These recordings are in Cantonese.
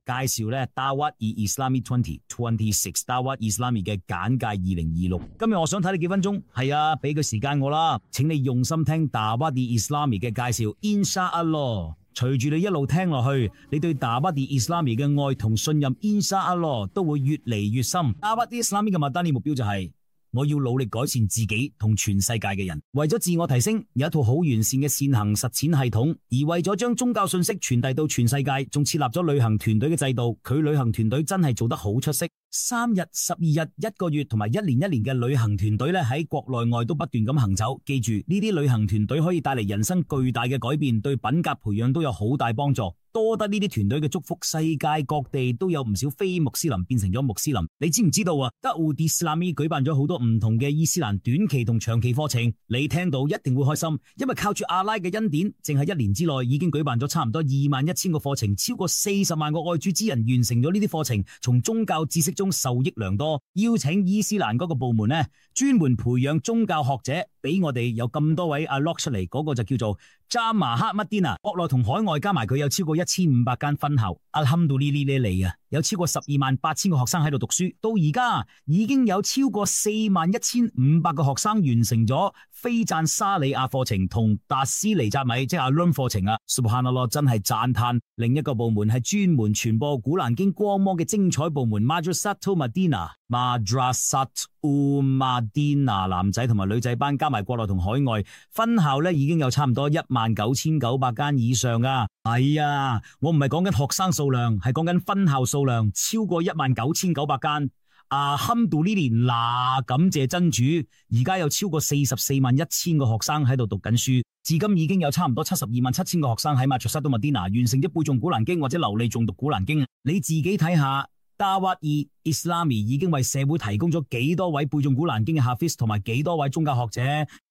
介紹咧 Dawat-e-Islami 2026 Dawat-e-Islami 嘅簡介2026。今日我想睇你幾分鐘，係啊，俾個時間我啦，請你用心聽 Dawat-e-Islami 嘅介紹 ，Inshallah。隨住你一路聽落去，你對 Dawat-e-Islami 嘅愛同信任 Inshallah 都會越嚟越深。Dawat-e-Islami 嘅Madani目標就係我要努力改善自己同全世界嘅人，為咗自我提升，有一套好完善嘅善行實踐系統，而為咗將宗教信息傳遞到全世界，仲設立咗旅行團隊嘅制度。佢旅行團隊真係做得好出色，3日、12日、1個月同埋1年嘅旅行團隊咧，喺國內外都不斷咁行走。記住，呢啲旅行團隊可以帶嚟人生巨大嘅改變，對品格培養都有好大幫助。多得呢啲團隊嘅祝福，世界各地都有唔少非穆斯林變成咗穆斯林。你知唔知道啊？Dawat-e-Islami 舉辦咗好多唔同嘅伊斯蘭短期同長期課程，你聽到一定會開心，因為靠住阿拉嘅恩典，淨係1年之內已經舉辦咗差唔多21,000個課程，超過40萬個愛主之人完成咗呢啲課程，從宗教知識中受益良多。邀請伊斯蘭嗰個部門呢，專門培養宗教學者，俾我哋有咁多位阿 lock 出嚟，嗰個就叫做 Jamahat Madinah， 國內同海外加埋佢有超過1500間分校。Alhamdulillah 啊，有超過128,000個學生喺度讀書，到而家已經有超過41,500個學生完成咗菲贊沙里亞課程同達斯尼扎米即係阿倫課程啊。Subhanallah， 真係讚嘆。另一個部門係專門傳播古蘭經光芒嘅精彩部門 Madrasatul Madinah。Madrasatul Madinah 男仔同埋女仔班加埋國內同海外分校咧，已經有差唔多19,900間以上噶。係啊，我唔係講緊學生數量，係講緊分校數量超過19,900間。Alhamdulillah，嗱，感謝真主，而家有超過44,100個學生喺度讀緊書，至今已經有差唔多72,700個學生喺Madrasatul Madinah完成咗背誦古蘭經或者流利誦讀古蘭經。你自己睇下。Dawat-e-Islami 已經為社會提供咗幾多位背誦古蘭經嘅哈菲斯同埋幾多位宗教學者。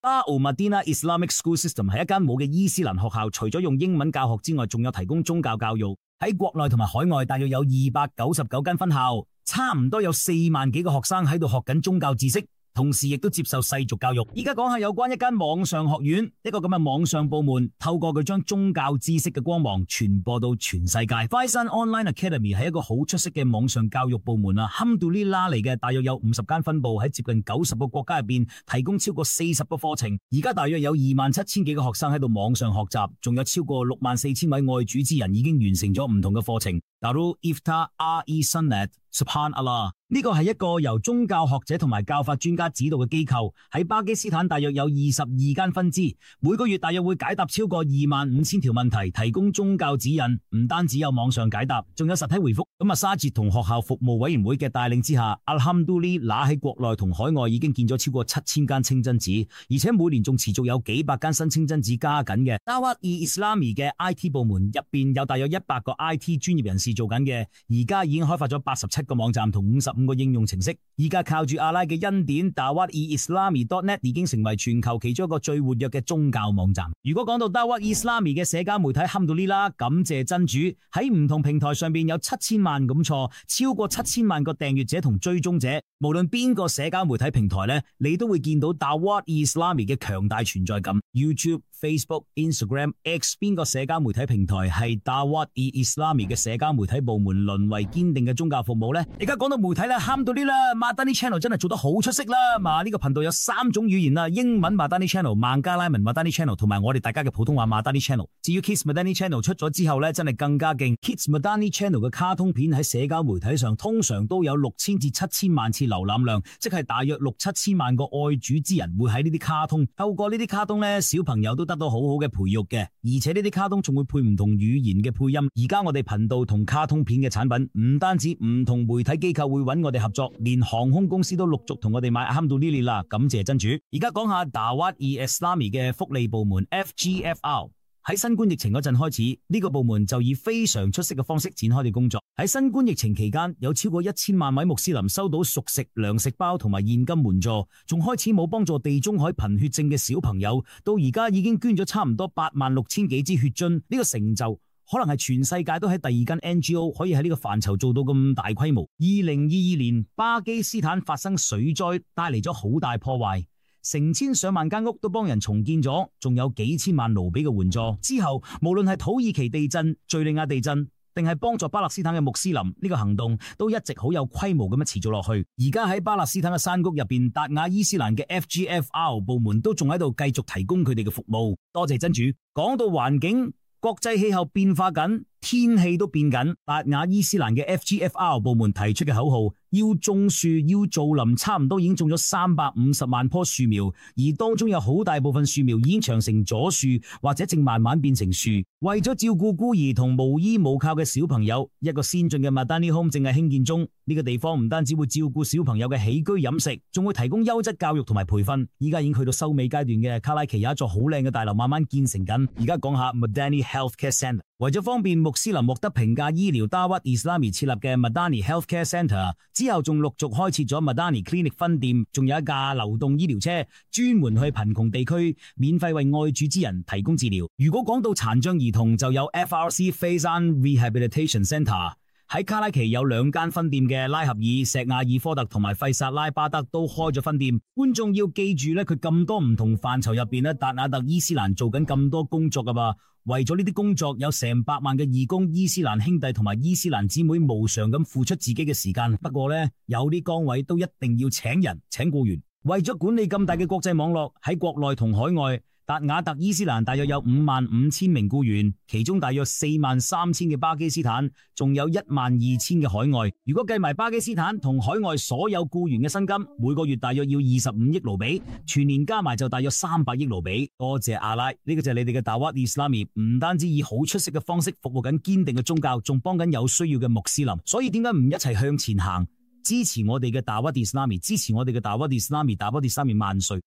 Darul Madinah Islamic School System 係一間冇嘅伊斯蘭學校，除咗用英文教學之外，仲有提供宗教教育。喺國內同埋海外大約有299間分校，差唔多有4萬幾個學生喺度學緊宗教知識，同時亦都接受世俗教育。而家講下有關一間網上學院，一個咁嘅網上部門，透過佢將宗教知識嘅光芒傳播到全世界。Faizan Online Academy 係一個好出色嘅網上教育部門啊，Alhamdulillah嚟嘅，大約有50間分部喺接近90個國家入邊，提供超過40個課程。而家大約有27,000幾個學生喺度網上學習，仲有超過64,000位愛主之人已經完成咗唔同嘅課程。Darul Ifta Al-Sanad Subhanallah， 呢個係一個由宗教學者同埋教法專家指導嘅機構，喺巴基斯坦大約有22間分支，每個月大約會解答超過25,000條問題，提供宗教指引。唔單止有網上解答，仲有實體回覆。咁沙捷同學校服務委員會嘅帶領之下，Alhamdulillah喺國內同海外已經建咗超過7,000間清真寺，而且每年仲持續有幾百間新清真寺加緊嘅。Dawat-e-Islami 嘅 IT 部門入邊有大約100個 IT 專業人士做緊嘅，而家已經開發咗87個網站同55個應用程式。而家靠住阿拉嘅恩典， Dawat-e-Islami.net 已經成為全球其中一個最活躍嘅宗教網站。如果講到 Dawat-e-Islami 嘅社交媒體，Alhamdulillah，感謝真主，喺唔同平台上邊有7000萬咁錯，超過7000萬個訂閱者同追蹤者。無論邊個社交媒體平台呢，你都會見到 Dawat-e-Islami 嘅強大存在感。YouTube、Facebook、Instagram、X 邊個社交媒體平台係 Dawat-e-Islami 嘅社交媒體部門淪為堅定嘅宗教服務呢？而家講到媒體啦，Alhamdulillah Madani Channel 真係做得好出色啦。呢個頻道有3種語言啦，英文 Madani Channel、孟加拉文 Madani Channel 同埋我哋大家嘅普通話 Madani Channel。至於 Kids Madani Channel 出咗之後呢，真係更加勁。Kids Madani Channel 嘅卡通片喺社交媒體上通常都有6000至7000萬次瀏覽量，即係大約6-7千萬個愛主之人會喺呢啲卡通。透過呢啲卡通呢，小朋友都得到好好嘅培育嘅，而且呢啲卡通仲會配唔同語言嘅配音。而家我哋頻道同卡通片嘅產品，唔單止唔同媒體機構會揾我哋合作，連航空公司都陸續同我哋買 Alhamdulillah 啦，感謝真主。而家講下 Dawat-e-Islami 嘅福利部門 FGFR。喺新冠疫情嗰陣開始，呢個部門就以非常出色嘅方式展開嘅工作。喺新冠疫情期間，有超過1000萬位穆斯林收到熟食、糧食包同埋現金援助，仲開始冇幫助地中海貧血症嘅小朋友，到而家已經捐咗差唔多86000幾支血樽。呢個成就可能係全世界都喺第二間 NGO 可以喺呢個範疇做到咁大規模。2022年巴基斯坦發生水災，帶嚟咗好大破壞。成千上萬間屋都幫人重建咗，仲有幾千萬盧比嘅援助。之後無論係土耳其地震、敘利亞地震、定係幫助巴勒斯坦嘅穆斯林，呢個行動都一直好有規模咁樣持續落去。而家喺巴勒斯坦嘅山谷入邊，達雅伊斯蘭嘅 FGFR 部門都仲喺度繼續提供佢哋嘅服務。多謝真主。講到環境，國際氣候變化緊，天氣都變緊。達雅伊斯蘭嘅 FGFR 部門提出嘅口號，要種樹，要造林，差唔多已經種咗350萬棵樹苗，而當中有好大部分樹苗已經長成咗樹，或者正慢慢變成樹。為咗照顧孤兒同無依無靠嘅小朋友，一個先進嘅 Madani Home 正係興建中。呢個地方唔單止會照顧小朋友嘅起居飲食，仲會提供優質教育同埋培訓。依家已經去到收尾階段嘅卡拉奇有一座好靚嘅大樓慢慢建成緊。而家講下 Madani Healthcare Centre， 為咗方便穆斯林獲得平價醫療，Dawat Islami 設立嘅 Madani Healthcare Centre 之後，仲陸續開設咗 Madani Clinic 分店，仲有一架流動醫療車專門去貧窮地區免費為愛主之人提供治療。如果講到殘障兒童，就有 FRC Faizan Rehabilitation Centre。喺卡拉奇有2間分店嘅拉合爾、錫亞爾科特同埋費薩拉巴德都開咗分店。觀眾要記住咧，佢咁多唔同範疇入邊咧，達雅特伊斯蘭做緊咁多工作噶噃。為咗呢啲工作，有成百萬嘅義工伊斯蘭兄弟同埋伊斯蘭姊妹無償咁付出自己嘅時間。不過呢，有啲崗位都一定要請人請僱員。為咗管理咁大嘅國際網絡，喺國內同海外，達雅特伊斯蘭大約有55000名僱員，其中大約43000嘅巴基斯坦，仲有12000嘅海外。如果計埋巴基斯坦同海外所有僱員嘅薪金，每個月大約要25億盧比，全年加埋就大約300億盧比。多謝阿拉，呢個就係你哋嘅 Dawat Islami， 唔單止以好出色嘅方式服務緊堅定嘅宗教，仲幫緊有需要嘅穆斯林。所以點解唔一齊向前行，支持我哋嘅 Dawat Islami， 支持我哋嘅 Dawat Islami， Dawat Islami 萬歲！